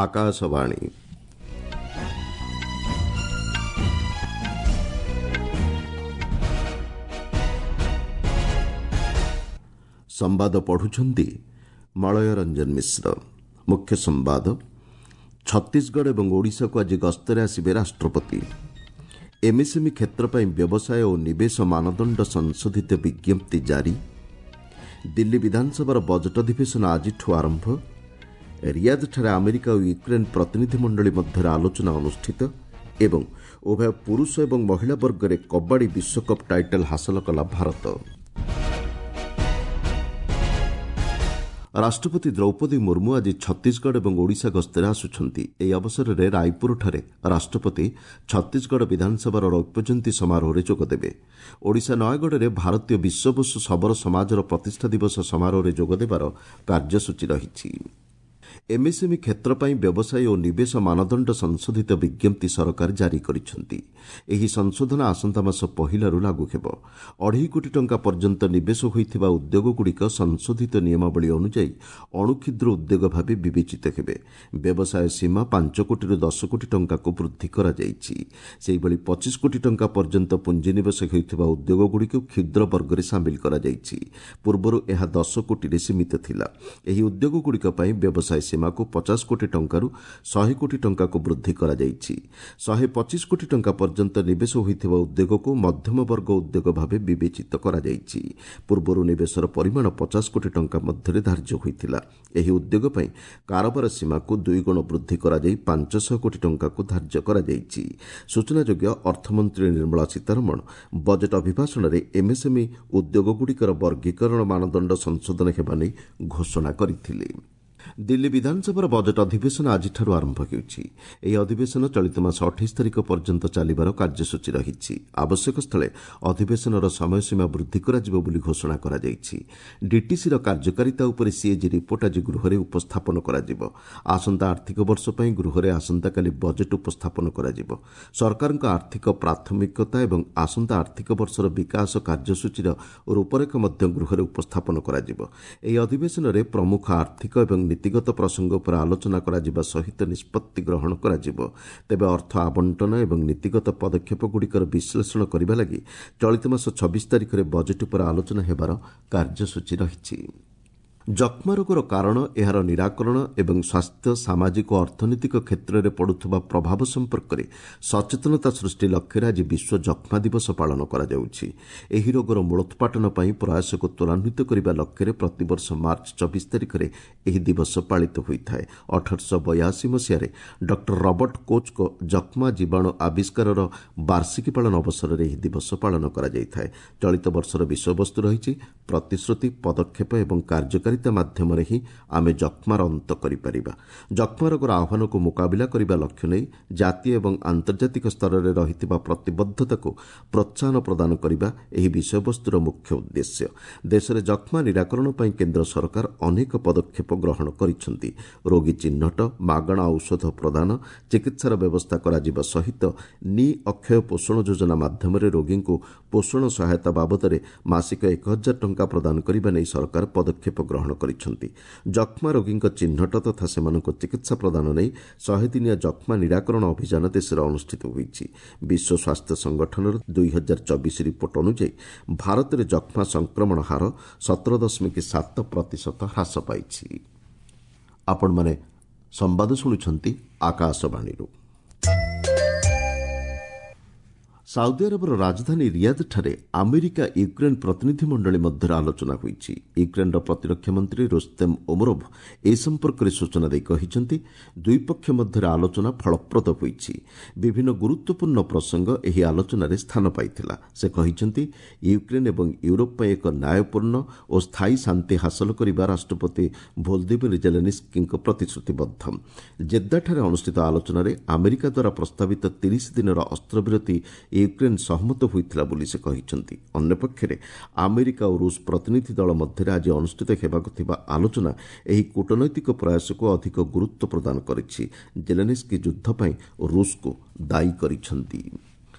ଆକାଶବାଣୀ। ସମ୍ବାଦ ପଢୁଛନ୍ତି ମଳୟ ରଞ୍ଜନ ମିଶ୍ର। ମୁଖ୍ୟ ସମ୍ବାଦ। ଛତିଶଗଡ଼ ଏବଂ ଓଡ଼ିଶାକୁ ଆଜି ଗସ୍ତରେ ଆସିବେ ରାଷ୍ଟ୍ରପତି। ଏମ୍ଏସ୍ଏମ୍ଇ କ୍ଷେତ୍ର ପାଇଁ ବ୍ୟବସାୟ ଓ ନିବେଶ ମାନଦଣ୍ଡ ସଂଶୋଧିତ ବିଜ୍ଞପ୍ତି ଜାରି। ଦିଲ୍ଲୀ ବିଧାନସଭାର ବଜେଟ୍ ଅଧିବେଶନ ଆଜିଠୁ ଆରମ୍ଭ। ରିୟାଦଠାରେ ଆମେରିକା ଓ ୟୁକ୍ରେନ୍ ପ୍ରତିନିଧିମଣ୍ଡଳୀ ମଧ୍ୟରେ ଆଲୋଚନା ଅନୁଷ୍ଠିତ ଏବଂ ଉଭୟ ପୁରୁଷ ଏବଂ ମହିଳା ବର୍ଗରେ କବାଡ଼ି ବିଶ୍ୱକପ୍ ଟାଇଟଲ୍ ହାସଲ କଲା ଭାରତ। ରାଷ୍ଟ୍ରପତି ଦ୍ରୌପଦୀ ମୁର୍ମୁ ଆଜି ଛତିଶଗଡ଼ ଏବଂ ଓଡ଼ିଶା ଗସ୍ତରେ ଆସୁଛନ୍ତି। ଏହି ଅବସରରେ ରାୟପୁରଠାରେ ରାଷ୍ଟ୍ରପତି ଛତିଶଗଡ଼ ବିଧାନସଭାର ରୌପ୍ୟଜୟନ୍ତୀ ସମାରୋହରେ ଯୋଗଦେବେ। ଓଡ଼ିଶା ନୟାଗଡ଼ରେ ଭାରତୀୟ ବିଶ୍ୱବସୁ ଶବର ସମାଜର ପ୍ରତିଷ୍ଠା ଦିବସ ସମାରୋହରେ ଯୋଗଦେବାର କାର୍ଯ୍ୟସୂଚୀ ରହିଛି। ଏମ୍ଏସ୍ଏମ୍ଇ କ୍ଷେତ୍ର ପାଇଁ ବ୍ୟବସାୟ ଓ ନିବେଶ ମାନଦଣ୍ଡ ସଂଶୋଧିତ ବିଜ୍ଞପ୍ତି ସରକାର ଜାରି କରିଛନ୍ତି। ଏହି ସଂଶୋଧନ ଆସନ୍ତା ମାସ ପହିଲାରୁ ଲାଗୁ ହେବ। 2.5 କୋଟି ଟଙ୍କା ପର୍ଯ୍ୟନ୍ତ ନିବେଶ ହୋଇଥିବା ଉଦ୍ୟୋଗଗୁଡ଼ିକ ସଂଶୋଧିତ ନିୟମାବଳୀ ଅନୁଯାୟୀ ଅଣୁକ୍ଷୁଦ୍ର ଉଦ୍ୟୋଗ ଭାବେ ବିବେଚିତ ହେବେ। ବ୍ୟବସାୟ ସୀମା 5 କୋଟିରୁ 10 କୋଟି ଟଙ୍କାକୁ ବୃଦ୍ଧି କରାଯାଇଛି। ସେହିଭଳି 25 କୋଟି ଟଙ୍କା ପର୍ଯ୍ୟନ୍ତ ପୁଞ୍ଜିନିବେଶ ହେଉଥିବା ଉଦ୍ୟୋଗଗୁଡ଼ିକୁ କ୍ଷୁଦ୍ର ବର୍ଗରେ ସାମିଲ କରାଯାଇଛି। ପୂର୍ବରୁ ଏହା 10 କୋଟିରେ ସୀମିତ ଥିଲା। ଏହି ଉଦ୍ୟୋଗଗୁଡ଼ିକ ପାଇଁ ବ୍ୟବସାୟ ସୀମାକୁ 50 କୋଟି ଟଙ୍କାରୁ 100 କୋଟି ଟଙ୍କାକୁ ବୃଦ୍ଧି କରାଯାଇଛି। 125 କୋଟି ଟଙ୍କା ପର୍ଯ୍ୟନ୍ତ ନିବେଶ ହୋଇଥିବା ଉଦ୍ୟୋଗକୁ ମଧ୍ୟମ ବର୍ଗ ଉଦ୍ୟୋଗ ଭାବେ ବିବେଚିତ କରାଯାଇଛି। ପୂର୍ବରୁ ନିବେଶର ପରିମାଣ 50 କୋଟି ଟଙ୍କା ମଧ୍ୟରେ ଧାର୍ଯ୍ୟ ହୋଇଥିଲା। ଏହି ଉଦ୍ୟୋଗ ପାଇଁ କାରବାର ସୀମାକୁ ଦୁଇଗୁଣ ବୃଦ୍ଧି କରାଯାଇ 500 କୋଟି ଟଙ୍କାକୁ ଧାର୍ଯ୍ୟ କରାଯାଇଛି। ସୂଚନାଯୋଗ୍ୟ, ଅର୍ଥମନ୍ତ୍ରୀ ନିର୍ମଳା ସୀତାରମଣ ବଜେଟ୍ ଅଭିଭାଷଣରେ ଏମ୍ଏସ୍ଏମ୍ଇ ଉଦ୍ୟୋଗଗୁଡ଼ିକର ବର୍ଗୀକରଣ ମାନଦଣ୍ଡ ସଂଶୋଧନ ହେବା ନେଇ ଘୋଷଣା କରିଥିଲେ। ଦିଲ୍ଲୀ ବିଧାନସଭାର ବଜେଟ୍ ଅଧିବେଶନ ଆଜିଠାରୁ ଆରମ୍ଭ ହେଉଛି। ଏହି ଅଧିବେଶନ ଚଳିତ ମାସ 28 ତାରିଖ ପର୍ଯ୍ୟନ୍ତ ଚାଲିବାର କାର୍ଯ୍ୟସୂଚୀ ରହିଛି। ଆବଶ୍ୟକ ସ୍ଥଳେ ଅଧିବେଶନର ସମୟସୀମା ବୃଦ୍ଧି କରାଯିବ ବୋଲି ଘୋଷଣା କରାଯାଇଛି। ଡିଟିସିର କାର୍ଯ୍ୟକାରିତା ଉପରେ ସିଏଜି ରିପୋର୍ଟ ଆଜି ଗୃହରେ ଉପସ୍ଥାପନ କରାଯିବ। ଆସନ୍ତା ଆର୍ଥିକ ବର୍ଷ ପାଇଁ ଗୃହରେ ଆସନ୍ତାକାଲି ବଜେଟ୍ ଉପସ୍ଥାପନ କରାଯିବ। ସରକାରଙ୍କ ଆର୍ଥିକ ପ୍ରାଥମିକତା ଏବଂ ଆସନ୍ତା ଆର୍ଥିକ ବର୍ଷର ବିକାଶ କାର୍ଯ୍ୟସୂଚୀର ରୂପରେଖ ମଧ୍ୟ ଗୃହରେ ଉପସ୍ଥାପନ କରାଯିବ। ଏହି ଅଧିବେଶନରେ ପ୍ରମୁଖ ଆର୍ଥିକ ଏବଂ ନୀତିଗତ ପ୍ରସଙ୍ଗ ଉପରେ ଆଲୋଚନା କରାଯିବା ସହିତ ନିଷ୍ପତ୍ତି ଗ୍ରହଣ କରାଯିବ। ତେବେ ଅର୍ଥ ଆବଣ୍ଟନ ଏବଂ ନୀତିଗତ ପଦକ୍ଷେପଗୁଡ଼ିକର ବିଶ୍ଳେଷଣ କରିବା ଲାଗି ଚଳିତ ମାସ 26 ତାରିଖରେ ବଜେଟ୍ ଉପରେ ଆଲୋଚନା ହେବାର କାର୍ଯ୍ୟସୂଚୀ ରହିଛି। ଯକ୍ଷ୍ମା ରୋଗର କାରଣ, ଏହାର ନିରାକରଣ ଏବଂ ସ୍ୱାସ୍ଥ୍ୟ, ସାମାଜିକ ଓ ଅର୍ଥନୈତିକ କ୍ଷେତ୍ରରେ ପଡ଼ୁଥିବା ପ୍ରଭାବ ସମ୍ପର୍କରେ ସଚେତନତା ସୃଷ୍ଟି ଲକ୍ଷ୍ୟରେ ଆଜି ବିଶ୍ୱ ଯକ୍ଷ୍ମା ଦିବସ ପାଳନ କରାଯାଉଛି। ଏହି ରୋଗର ମୂଳୋତ୍ପାଟନ ପାଇଁ ପ୍ରୟାସକୁ ତ୍ୱରାନ୍ୱିତ କରିବା ଲକ୍ଷ୍ୟରେ ପ୍ରତିବର୍ଷ ମାର୍ଚ୍ଚ 24 ତାରିଖରେ ଏହି ଦିବସ ପାଳିତ ହୋଇଥାଏ। 1882 ମସିହାରେ ଡକ୍ଟର ରବର୍ଟ କୋଚ୍ଙ୍କ ଯକ୍ଷ୍ମା ଜୀବାଣୁ ଆବିଷ୍କାରର ବାର୍ଷିକୀ ପାଳନ ଅବସରରେ ଏହି ଦିବସ ପାଳନ କରାଯାଇଥାଏ। ଚଳିତ ବର୍ଷର ବିଷୟବସ୍ତୁ ରହିଛି ପ୍ରତିଶ୍ରୁତି, ପଦକ୍ଷେପ ଏବଂ କାର୍ଯ୍ୟକାରିତା ମାଧ୍ୟମରେ ହିଁ ଆମେ ଯକ୍ଷ୍ମାର ଅନ୍ତ କରିପାରିବା। ଯକ୍ଷ୍ମା ରୋଗର ଆହ୍ୱାନକୁ ମୁକାବିଲା କରିବା ଲକ୍ଷ୍ୟ ନେଇ ଜାତୀୟ ଏବଂ ଆନ୍ତର୍ଜାତିକ ସ୍ତରରେ ରହିଥିବା ପ୍ରତିବଦ୍ଧତାକୁ ପ୍ରୋତ୍ସାହନ ପ୍ରଦାନ କରିବା ଏହି ବିଷୟବସ୍ତୁର ମୁଖ୍ୟ ଉଦ୍ଦେଶ୍ୟ। ଦେଶରେ ଯକ୍ଷ୍ମା ନିରାକରଣ ପାଇଁ କେନ୍ଦ୍ର ସରକାର ଅନେକ ପଦକ୍ଷେପ ଗ୍ରହଣ କରିଛନ୍ତି। ରୋଗୀ ଚିହ୍ନଟ, ମାଗଣା ଔଷଧ ପ୍ରଦାନ, ଚିକିତ୍ସାର ବ୍ୟବସ୍ଥା କରାଯିବା ସହିତ ନି ଅକ୍ଷୟ ପୋଷଣ ଯୋଜନା ମାଧ୍ୟମରେ ରୋଗୀଙ୍କୁ ପୋଷଣ ସହାୟତା ବାବଦରେ ମାସିକ 1000 ଟଙ୍କା ପ୍ରଦାନ କରିବା ନେଇ ସରକାର ପଦକ୍ଷେପ ଗ୍ରହଣ କରିଛନ୍ତି। ଯକ୍ଷ୍ମା ରୋଗୀଙ୍କ ଚିହ୍ନଟ ତଥା ସେମାନଙ୍କୁ ଚିକିତ୍ସା ପ୍ରଦାନ ନେଇ 100 ଦିନିଆ ଯକ୍ଷ୍ମା ନିରାକରଣ ଅଭିଯାନ ଦେଶରେ ଅନୁଷ୍ଠିତ ହୋଇଛି। ବିଶ୍ୱ ସ୍ୱାସ୍ଥ୍ୟ ସଂଗଠନର 2024 ରିପୋର୍ଟ ଅନୁଯାୟୀ ଭାରତରେ ଯକ୍ଷ୍ମା ସଂକ୍ରମଣ ହାର 17.7% ହ୍ରାସ ପାଇଛି। ଆପଣମାନେ ସମ୍ବାଦ ଶୁଣୁଛନ୍ତି ଆକାଶବାଣୀରୁ। ସାଉଦି ଆରବର ରାଜଧାନୀ ରିୟାଦଠାରେ ଆମେରିକା ୟୁକ୍ରେନ୍ ପ୍ରତିନିଧିମଣ୍ଡଳୀ ମଧ୍ୟରେ ଆଲୋଚନା ହୋଇଛି। ୟୁକ୍ରେନ୍ର ପ୍ରତିରକ୍ଷା ମନ୍ତ୍ରୀ ରୁସ୍ତେମ୍ ଓମରୋଭ୍ ଏ ସମ୍ପର୍କରେ ସୂଚନା ଦେଇ କହିଛନ୍ତି, ଦୁଇ ପକ୍ଷ ମଧ୍ୟରେ ଆଲୋଚନା ଫଳପ୍ରଦ ହୋଇଛି। ବିଭିନ୍ନ ଗୁରୁତ୍ୱପୂର୍ଣ୍ଣ ପ୍ରସଙ୍ଗ ଏହି ଆଲୋଚନାରେ ସ୍ଥାନ ପାଇଥିଲା। ସେ କହିଛନ୍ତି, ୟୁକ୍ରେନ୍ ଏବଂ ୟୁରୋପ ପାଇଁ ଏକ ନ୍ୟାୟପୂର୍ଣ୍ଣ ଓ ସ୍ଥାୟୀ ଶାନ୍ତି ହାସଲ କରିବା ରାଷ୍ଟ୍ରପତି ଭୋଲଦିମିର ଜେଲେନିସ୍କିଙ୍କ ପ୍ରତିଶ୍ରୁତିବଦ୍ଧ। ଜେଦ୍ଦାଠାରେ ଅନୁଷ୍ଠିତ ଆଲୋଚନାରେ ଆମେରିକା ଦ୍ୱାରା ପ୍ରସ୍ତାବିତ 30 ଦିନର ଅସ୍ତ୍ରବିରତି ୟୁକ୍ରେନ୍ ସହମତ ହୋଇଥିଲା ବୋଲି ସେ କହିଛନ୍ତି। ଅନ୍ୟପକ୍ଷରେ ଆମେରିକା ଓ ରୁଷ ପ୍ରତିନିଧି ଦଳ ମଧ୍ୟରେ ଆଜି ଅନୁଷ୍ଠିତ ହେବାକୁ ଥିବା ଆଲୋଚନା ଏହି କୂଟନୈତିକ ପ୍ରୟାସକୁ ଅଧିକ ଗୁରୁତ୍ୱ ପ୍ରଦାନ କରିଛି। ଜେଲେନିସ୍କି ଯୁଦ୍ଧ ପାଇଁ ରୁଷକୁ ଦାୟୀ କରିଛନ୍ତି।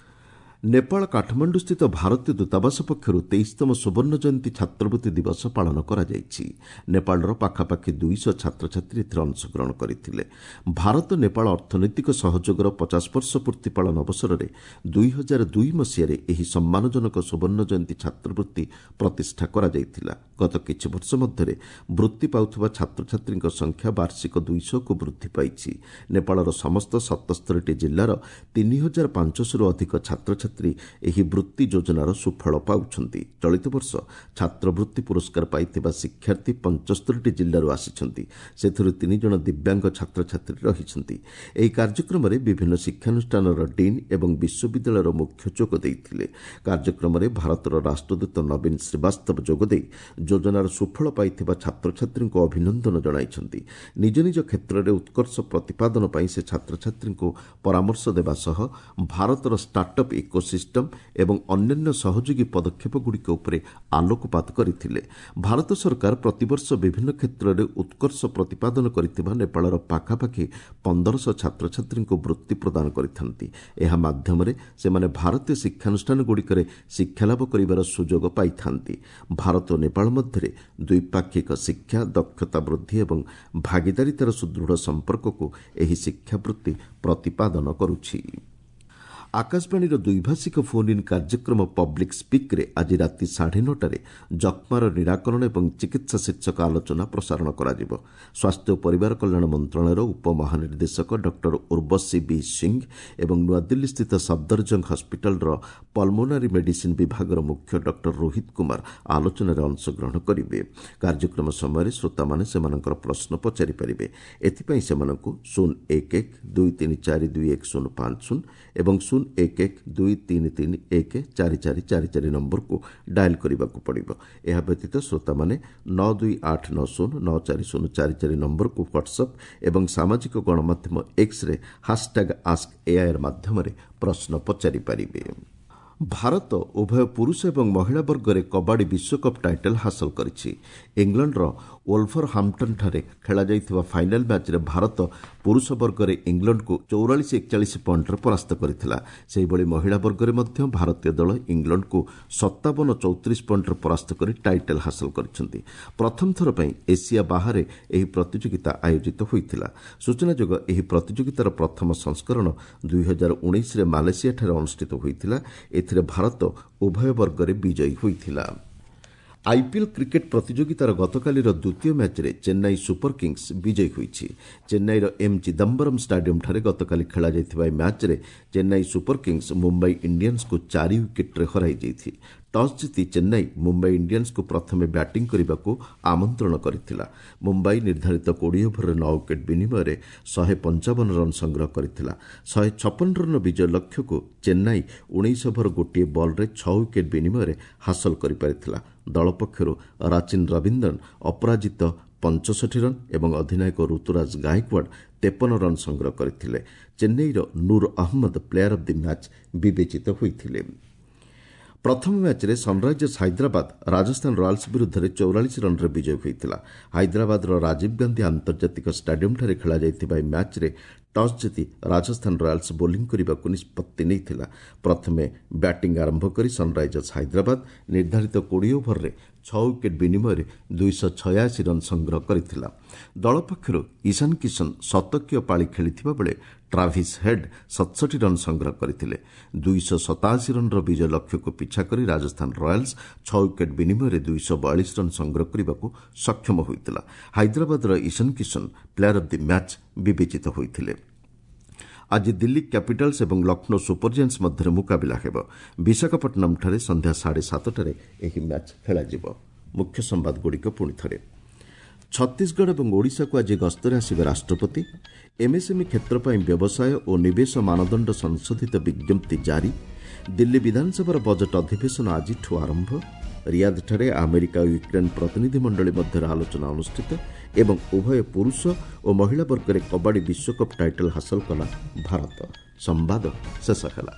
ନେପାଳ କାଠମାଣ୍ଡୁସ୍ଥିତ ଭାରତୀୟ ଦୂତାବାସ ପକ୍ଷରୁ 23ତମ ସୁବର୍ଣ୍ଣ ଜୟନ୍ତୀ ଛାତ୍ରବୃତ୍ତି ଦିବସ ପାଳନ କରାଯାଇଛି। ନେପାଳର ପାଖାପାଖି 200 ଛାତ୍ରଛାତ୍ରୀ ଏଥିରେ ଅଂଶଗ୍ରହଣ କରିଥିଲେ। ଭାରତ ନେପାଳ ଅର୍ଥନୈତିକ ସହଯୋଗର 50 ବର୍ଷ ପୂର୍ତ୍ତି ପାଳନ ଅବସରରେ 2002 ମସିହାରେ ଏହି ସମ୍ମାନଜନକ ସୁବର୍ଣ୍ଣ ଜୟନ୍ତୀ ଛାତ୍ରବୃତ୍ତି ପ୍ରତିଷ୍ଠା କରାଯାଇଥିଲା। ଗତ କିଛି ବର୍ଷ ମଧ୍ୟରେ ବୃତ୍ତି ପାଉଥିବା ଛାତ୍ରଛାତ୍ରୀଙ୍କ ସଂଖ୍ୟା ବାର୍ଷିକ 200କୁ ବୃଦ୍ଧି ପାଇଛି। ନେପାଳର ସମସ୍ତ 77ଟି ଜିଲ୍ଲାର 3500ରୁ ଅଧିକ ଛାତ୍ରଛାତ୍ରୀ ଏହି ବୃତ୍ତି ଯୋଜନାର ସୁଫଳ ପାଉଛନ୍ତି। ଚଳିତ ବର୍ଷ ଛାତ୍ରବୃତ୍ତି ପୁରସ୍କାର ପାଇଥିବା ଶିକ୍ଷାର୍ଥୀ 75ଟି ଜିଲ୍ଲାରୁ ଆସିଛନ୍ତି। ସେଥିରୁ 3 ଜଣ ଦିବ୍ୟାଙ୍ଗ ଛାତ୍ରଛାତ୍ରୀ ରହିଛନ୍ତି। ଏହି କାର୍ଯ୍ୟକ୍ରମରେ ବିଭିନ୍ନ ଶିକ୍ଷାନୁଷ୍ଠାନର ଡିନ୍ ଏବଂ ବିଶ୍ୱବିଦ୍ୟାଳୟର ମୁଖ୍ୟ ଯୋଗ ଦେଇଥିଲେ। କାର୍ଯ୍ୟକ୍ରମରେ ଭାରତର ରାଷ୍ଟ୍ରଦୂତ ନବୀନ ଶ୍ରୀବାସ୍ତବ ଯୋଗଦେଇ ଯୋଜନାର ସୁଫଳ ପାଇଥିବା ଛାତ୍ରଛାତ୍ରୀଙ୍କୁ ଅଭିନନ୍ଦନ ଜଣାଇଛନ୍ତି। ନିଜ ନିଜ କ୍ଷେତ୍ରରେ ଉତ୍କର୍ଷ ପ୍ରତିପାଦନ ପାଇଁ ସେ ଛାତ୍ରଛାତ୍ରୀଙ୍କୁ ପରାମର୍ଶ ଦେବା ସହ ଭାରତର ଷ୍ଟାର୍ଟଅପ୍ ଇକୋସିଷ୍ଟମ ଏବଂ ଅନ୍ୟାନ୍ୟ ସହଯୋଗୀ ପଦକ୍ଷେପଗୁଡ଼ିକ ଉପରେ ଆଲୋକପାତ କରିଥିଲେ। ଭାରତ ସରକାର ପ୍ରତିବର୍ଷ ବିଭିନ୍ନ କ୍ଷେତ୍ରରେ ଉତ୍କର୍ଷ ପ୍ରତିପାଦନ କରିଥିବା ନେପାଳର ପାଖାପାଖି 1500 ଛାତ୍ରଛାତ୍ରୀଙ୍କୁ ବୃତ୍ତି ପ୍ରଦାନ କରିଥାନ୍ତି। ଏହା ମାଧ୍ୟମରେ ସେମାନେ ଭାରତୀୟ ଶିକ୍ଷାନୁଷ୍ଠାନଗୁଡ଼ିକରେ ଶିକ୍ଷାଲାଭ କରିବାର ସୁଯୋଗ ପାଇଥାନ୍ତି। ଭାରତ ଓ ନେପାଳ ମଧ୍ୟରେ ଦ୍ୱିପାକ୍ଷିକ ଶିକ୍ଷା, ଦକ୍ଷତା ବୃଦ୍ଧି ଏବଂ ଭାଗିଦାରିତାର ସୁଦୃଢ଼ ସମ୍ପର୍କକୁ ଏହି ଶିକ୍ଷାବୃତ୍ତି ପ୍ରତିପାଦନ କରୁଛି। ଆକାଶବାଣୀର ଦ୍ୱିଭାଷିକ ଫୋନ୍ ଇନ୍ କାର୍ଯ୍ୟକ୍ରମ ପବ୍ଲିକ୍ ସ୍ପିକ୍ରେ ଆଜି ରାତି 9:30ରେ ଯକ୍ଷ୍ମାର ନିରାକରଣ ଏବଂ ଚିକିତ୍ସା ଶୀର୍ଷକ ଆଲୋଚନା ପ୍ରସାରଣ କରାଯିବ। ସ୍ୱାସ୍ଥ୍ୟ ଓ ପରିବାର କଲ୍ୟାଣ ମନ୍ତ୍ରଣାଳୟର ଉପମହାନିର୍ଦ୍ଦେଶକ ଡକ୍ଟର ଉର୍ବଶୀ ବି ସିଂ ଏବଂ ନୂଆଦିଲ୍ଲୀସ୍ଥିତ ସଫଦରଜଙ୍ଗ ହସ୍ପିଟାଲର ପଲ୍ମୋନାରୀ ମେଡିସିନ୍ ବିଭାଗର ମୁଖ୍ୟ ଡକ୍ଟର ରୋହିତ କୁମାର ଆଲୋଚନାରେ ଅଂଶଗ୍ରହଣ କରିବେ। କାର୍ଯ୍ୟକ୍ରମ ସମୟରେ ଶ୍ରୋତାମାନେ ସେମାନଙ୍କର ପ୍ରଶ୍ନ ପଚାରିପାରିବେ। ଏଥିପାଇଁ ସେମାନଙ୍କୁ 0 1 1 2 3 4 2 1 0 5 0 ଏବଂ 0 1 1 2 3 3 1 4 4 4 4 ନମ୍ବରକୁ ଡାଏଲ୍ କରିବାକୁ ପଡ଼ିବ। ଏହା ବ୍ୟତୀତ ଶ୍ରୋତାମାନେ 9 2 8 9 0 9 4 0 4 4 ନମ୍ବରକୁ ହ୍ୱାଟ୍ସଆପ୍ ଏବଂ ସାମାଜିକ ଗଣମାଧ୍ୟମ ଏକ୍ସରେ ହାସ୍ଟ୍ୟାଗ୍ ଆସ୍କ ଏଆଇଆର୍ ମାଧ୍ୟମରେ ପ୍ରଶ୍ନ ପଚାରିପାରିବେ। ଭାରତ ଉଭୟ ପୁରୁଷ ଏବଂ ମହିଳା ବର୍ଗରେ କବାଡ଼ି ବିଶ୍ୱକପ୍ ଟାଇଟଲ୍ ହାସଲ କରିଛି। ଇଂଲଣ୍ଡର ଓଲଭରହାମ୍ପଟନ୍ଠାରେ ଖେଳାଯାଇଥିବା ଫାଇନାଲ୍ ମ୍ୟାଚ୍ରେ ଭାରତ ପୁରୁଷ ବର୍ଗରେ ଇଂଲଣ୍ଡକୁ 44-41 ପଏଣ୍ଟରେ ପରାସ୍ତ କରିଥିଲା। ସେହିଭଳି ମହିଳା ବର୍ଗରେ ମଧ୍ୟ ଭାରତୀୟ ଦଳ ଇଂଲଣ୍ଡକୁ 57-34 ପଏଣ୍ଟରେ ପରାସ୍ତ କରି ଟାଇଟଲ୍ ହାସଲ କରିଛନ୍ତି। ପ୍ରଥମ ଥର ପାଇଁ ଏସିଆ ବାହାରେ ଏହି ପ୍ରତିଯୋଗିତା ଆୟୋଜିତ ହୋଇଥିଲା। ସୂଚନାଯୋଗ୍ୟ, ଏହି ପ୍ରତିଯୋଗିତାର ପ୍ରଥମ ସଂସ୍କରଣ 2019ରେ ମାଲେସିଆଠାରେ ଅନୁଷ୍ଠିତ ହୋଇଥିଲା। ଏଥିରେ ଭାରତ ଉଭୟ ବର୍ଗରେ ବିଜୟୀ ହୋଇଥିଲା। ଆଇପିଏଲ୍ କ୍ରିକେଟ୍ ପ୍ରତିଯୋଗିତାର ଗତକାଲିର ଦ୍ୱିତୀୟ ମ୍ୟାଚ୍ରେ ଚେନ୍ନାଇ ସୁପର କିଙ୍ଗସ୍ ବିଜୟୀ ହୋଇଛି। ଚେନ୍ନାଇର ଏମ୍ ଚିଦାମ୍ବରମ୍ ଷ୍ଟାଡିୟମ୍ଠାରେ ଗତକାଲି ଖେଳାଯାଇଥିବା ଏହି ମ୍ୟାଚ୍ରେ ଚେନ୍ନାଇ ସୁପର କିଙ୍ଗସ୍ ମୁମ୍ବାଇ ଇଣ୍ଡିଆନ୍ସକୁ 4 ୱିକେଟ୍ରେ ହରାଇ ଦେଇଛି। ଟସ୍ ଜିତି ଚେନ୍ନାଇ ମୁମ୍ବାଇ ଇଣ୍ଡିଆନ୍ସକୁ ପ୍ରଥମେ ବ୍ୟାଟିଂ କରିବାକୁ ଆମନ୍ତ୍ରଣ କରିଥିଲା। ମୁମ୍ବାଇ ନିର୍ଦ୍ଧାରିତ 20 ଓଭରରେ 9 ୱିକେଟ୍ ବିନିମୟରେ 155 ରନ୍ ସଂଗ୍ରହ କରିଥିଲା। 156 ରନ୍ର ବିଜୟ ଲକ୍ଷ୍ୟକୁ ଚେନ୍ନାଇ 19 ଓଭର 1 ବଲ୍ରେ 6 ୱିକେଟ୍ ବିନିମୟରେ ହାସଲ କରିପାରିଥିଲା। ଦଳ ପକ୍ଷରୁ ରାଚିନ୍ ରବୀନ୍ଦ୍ରନ ଅପରାଜିତ 65 ରନ୍ ଏବଂ ଅଧିନାୟକ ଋତୁରାଜ ଗାଏକ୍ୱାଡ୍ 53 ରନ୍ ସଂଗ୍ରହ କରିଥିଲେ। ଚେନ୍ନାଇର Noor Ahmad player of the match ବିବେଚିତ ହୋଇଥିଲେ। ପ୍ରଥମ ମ୍ୟାଚ୍ରେ ସନ୍ରାଇଜର୍ସ ହାଇଦ୍ରାବାଦ ରାଜସ୍ଥାନ ରୟାଲ୍ସ ବିରୁଦ୍ଧରେ 44 ରନ୍ରେ ବିଜୟୀ ହୋଇଥିଲା। ହାଇଦ୍ରାବାଦର ରାଜୀବ ଗାନ୍ଧୀ ଆନ୍ତର୍ଜାତିକ ଷ୍ଟାଡିୟମ୍ଠାରେ ଖେଳାଯାଇଥିବା ଏହି ମ୍ୟାଚ୍ରେ ଟସ୍ ଜିତି ରାଜସ୍ଥାନ ରୟାଲ୍ସ ବୋଲିଂ କରିବାକୁ ନିଷ୍ପତ୍ତି ନେଇଥିଲା। ପ୍ରଥମେ ବ୍ୟାଟିଂ ଆରମ୍ଭ କରି ସନ୍ରାଇଜର୍ସ ହାଇଦ୍ରାବାଦ ନିର୍ଦ୍ଧାରିତ 20 ଓଭରରେ 6 ୱିକେଟ୍ ବିନିମୟରେ 286 ରନ୍ ସଂଗ୍ରହ କରିଥିଲା। ଦଳ ପକ୍ଷରୁ ଇଶାନ କିଶନ ଶତକୀୟ ପାଳି ଖେଳିଥିବା ବେଳେ ଟ୍ରାଭିସ୍ ହେଡ୍ 67 ରନ୍ ସଂଗ୍ରହ କରିଥିଲେ। 287 ରନ୍ର ବିଜୟ ଲକ୍ଷ୍ୟକୁ ପିଛା କରି ରାଜସ୍ଥାନ ରୟାଲ୍ସ 6 ୱିକେଟ୍ ବିନିମୟରେ 242 ରନ୍ ସଂଗ୍ରହ କରିବାକୁ ସକ୍ଷମ ହୋଇଥିଲା। ହାଇଦ୍ରାବାଦର Ishan Kishan player of the match ବିବେଚିତ ହୋଇଥିଲେ। ଆଜି ଦିଲ୍ଲୀ କ୍ୟାପିଟାଲ୍ସ ଏବଂ ଲକ୍ଷ୍ନୌ ସୁପର ଜାଏଣ୍ଟସ୍ ମଧ୍ୟରେ ମୁକାବିଲା ହେବ। ବିଶାଖାପଟ୍ଟନମ୍ଠାରେ ସନ୍ଧ୍ୟା 7:30ରେ ଏହି ମ୍ୟାଚ୍ ଖେଳାଯିବ। ମୁଖ୍ୟ ସମ୍ବାଦଗୁଡ଼ିକ ପୁଣି ଥରେ। ଛତିଶଗଡ଼ ଏବଂ ଓଡ଼ିଶାକୁ ଆଜି ଗସ୍ତରେ ଆସିବେ ରାଷ୍ଟ୍ରପତି। ଏମ୍ଏସ୍ଏମ୍ଇ କ୍ଷେତ୍ର ପାଇଁ ବ୍ୟବସାୟ ଓ ନିବେଶ ମାନଦଣ୍ଡ ସଂଶୋଧିତ ବିଜ୍ଞପ୍ତି ଜାରି। ଦିଲ୍ଲୀ ବିଧାନସଭାର ବଜେଟ୍ ଅଧିବେଶନ ଆଜିଠୁ ଆରମ୍ଭ। ରିୟାଦଠାରେ ଆମେରିକା ଓ ୟୁକ୍ରେନ୍ ପ୍ରତିନିଧିମଣ୍ଡଳୀ ମଧ୍ୟରେ ଆଲୋଚନା ଅନୁଷ୍ଠିତ ଏବଂ ଉଭୟ ପୁରୁଷ ଓ ମହିଳା ବର୍ଗରେ କବାଡ଼ି ବିଶ୍ୱକପ୍ ଟାଇଟଲ୍ ହାସଲ କଲା ଭାରତ। ସମ୍ବାଦ ଶେଷ ହେଲା।